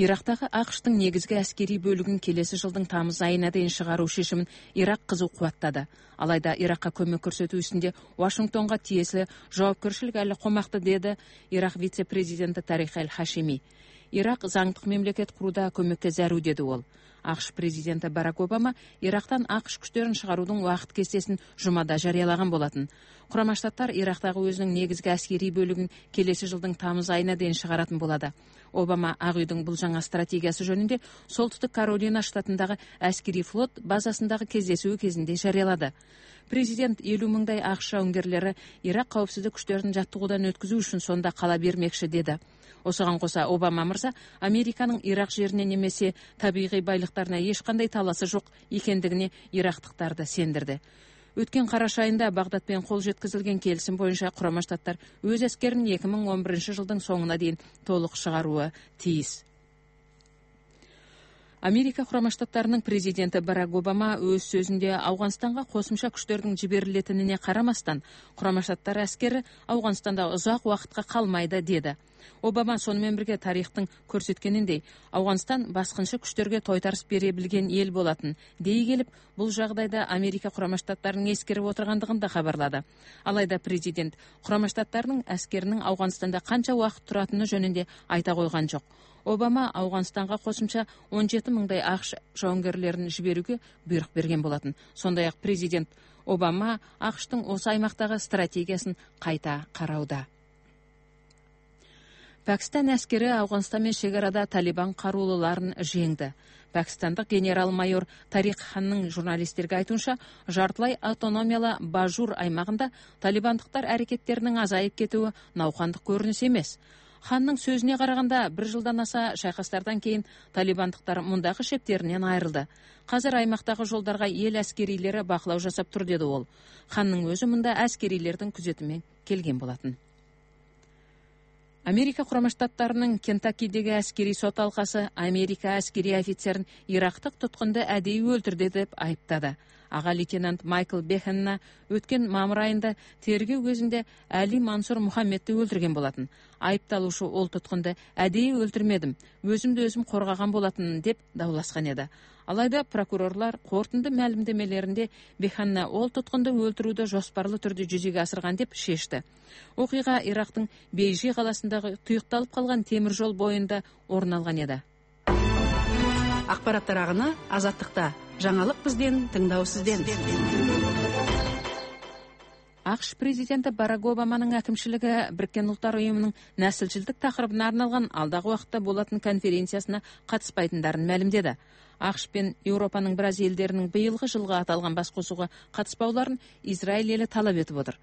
Ирактагы АКШтын негизги аскерий бөлүгүн келеси жылдын тамыз айына дейин чыгаруу чечимин Ирак кызуу кубаттады. Алайда Иракка көмөк көрсөтүү исинде Вашингтонго тиесилүү жоопкерчилик али комакта, деди Ирак вице-президенти Тарих Аль-Хашими. Ирак заңдык мамлекет курууда көмөккө заруу, деди ол. АКШ президенти Барак Обама Ирактан АКШ күчтөрүн чыгаруудун убакыт кестесин жумада жарыялаган болотун. Курама Штаттар Ирактагы өзүнүн негизги аскерий бөлүгүн келеси жылдын тамыз айына дейин чыгаратын болду. Обама Ак үйдүн бул жаңа стратегиясы жөнүндө Солтүстүк Каролина штатындагы аскерий флот базасындагы кездесүү кезинде жарыялады. Президент 50 мыңдай АКШ жауынгерлери Ирак коопсуздук күчтөрүн жаттыгуудан өткүзүү үчүн сонда кала бермекчи, деди. Осуган коса Обама мырза Американын Ирак жерине немесе табигый байлыктарына эч кандай таласы жок экендигине ирактыктарды сендирди. Өткөн караш айында Багдад менен кол жеткизилген келисим боюнча Курама Штаттар өз аскерин 2011 жылдын соңуна дейин толук чыгарууга тийиз. Америка Курама Штаттарынын президенти Барак Обама өз сөзүндө Афганстанга косумча күчтөрдүн жиберилетинине карамастан Курама Штаттар аскери Афганстанда узак убакытка калмайды, деди. Обама сонун бирге тарыхтын көрсөткөнүндөй Афганстан баскынчы күчтөргө тойтарыс бере билген эл болотун дей келип, бул жагдайда Америка Курама Штаттарынын эскерип отургандыгын да кабарлады. Алайда президент Курама Штаттарынын аскеринин Афганстанда канча убакыт туратыны жөнүндө айта койгон жок. Обама Афганстанга косумча 17 мыңдай АКШ жауынгерлерин жиберүүгө буйрук берген болотун. Сондай-ак президент Обама АКШтын осы аймактагы стратегиясын кайта карауда. Пакистан аскери Афганстан менен чегарада Талибан каруулууларын жеңди. Пакистандык генерал-майор Тарик Ханнын журналисттерге айтуунча, жартылай автономиялы Бажур аймагында талибандыктар аракеттеринин азайып кетүүі наукандык көрүнүш эмес. Ханнын сөзүнө караганда, 1 жылдан аса шайкастардан кийин талибандыктар мундагы шептеринен айрылды. Казыр аймактагы жолдарга эл аскерийлери бакылоо жасап тур, деди ол. Ханнын өзү мында аскерийлердин күзөтүмүнөн келген болотун. Америка Курама Штаттарынын Кентаккидеги аскерий сот алкасы Америка аскерий офицерин ирактык туткунду әдейи өлтүрдү деп айыптады. Ага лейтенант Майкл Бехенна өткөн мамыр айында тергөө кезинде Али Мансур Мухаммедти өлтүргөн болотун. Айыпталуучу ол туткунду әдейи өлтүрмөдүм, өзүмдү өзүм коргогон болотун деп даулашкан эди. Алайда прокурорлор корутунду маалымдемелеринде Бехенна ол туткунду өлтүрүүдө жоспарлуу түрдө жүзөгө асырган деп шешти. Окуйга Ирактын Бейжи каласындагы туюкталып калган темир жол боюнда орун алган эди. Акпараттар агыны Азаттыкта. Жаңалык бизден, тыңдоо сизден. АКШ президенти Барак Обаманын акимчилиги Бириккен Улуттар уюмунун наслчилдик такырыбына арналган алдагы убакытта болотун конференциясына катыспайтындарын маалымдады. АКШ пен Европанын бир аз элдеринин быйылгы жылга аталган баскосууга катыспауларын Израиль эли талап этип отур.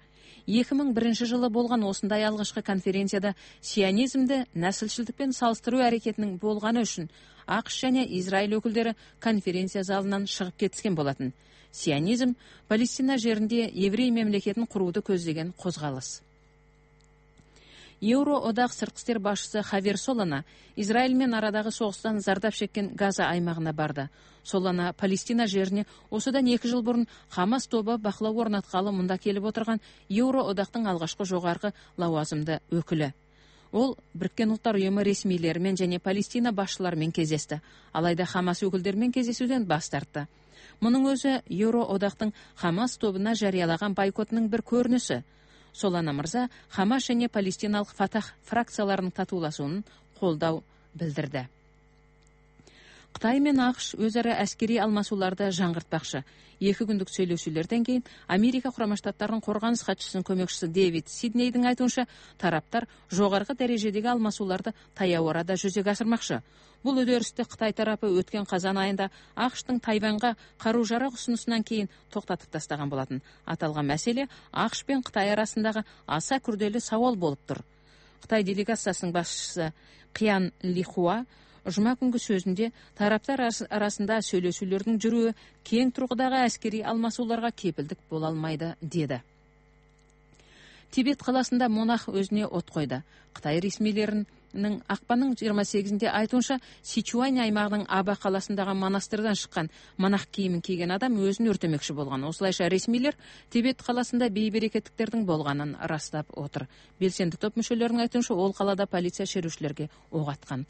2001 жылы болгон осундай алгачкы конференцияда сионизмди наслчилдик менен салыштыруу аракетинин болгону үчүн АКШ жана Израиль өкүлдөрү конференция залынан чыгып кетишкен болотун. Сионизм Палестина жеринде еврей мемлекетин курууду көздөгөн козголус. Евро одак сырткы иштер башчысы Хавер Солана Израиль менен арадагы согуштан зардап чеккен Газа аймагына барды. Солана Палестина жерине осудан 2 жыл бурун Хамас тобу бакылоо орнаткалы мында келип отурган Евро одактын алгачкы жогорку лауазымды өкүлү. Ол Бириккен Улуттар уюму ресмийлери менен жана Палестина башчылары менен кездешти. Алайда Хамас өкүлдөрү менен кездесүүдөн баш тартты. Мунун өзү Евро одактын Хамас тобуна жарыялаган бойкотунун бир көрүнүшү. Солана мырза Хамас жана Палестиналык Фатах фракцияларынын татуулашуунун колдоо билдирди. Кытай менен АКШ өз ара аскерий алмашууларды жаңгыртпакчы. 2 күндүк сүйлөшүүлөрдөн кийин Америка Курама Штаттарынын коргонуш катчысынын көмөкчүсү Дэвид Сиднейдин айтуунча, тараптар жогорку дәрежедеги алмашууларды таяу арада жүзөгө ашырмакчы. Бул үдөрүстү Кытай тарапы өткөн казан айында АКШтын Тайванга каруу-жарак усунусунан кийин токтотуп тастаган болотун. Аталган маселе АКШ менен Кытай арасындагы аса күрдөлүү сабол болуптур. Кытай делегациясынын башчысы Кыян Лихуа жума күнгү сөзүндө тараптар арасында сүйлөшүүлөрдүн жүрүүі кең тургудагы аскерий алмашууларга кепилдик боло алмайды, деди. Тибет каласында монах өзүнө от койду. Кытай ресмийлеринин акпандын 28-нде айтуунча, Сичуань аймагынын Аба каласындагы монастырдан чыккан монах кийимин кийген адам өзүн өртөмөкчү болгон. Осулайша ресмийлер Тибет каласында бейберекеттиктердин болгонун ырастап отур. Белсенди топ мүчөлөрүнүн айтуунча, ол калада полиция шерушилерге ок аткан.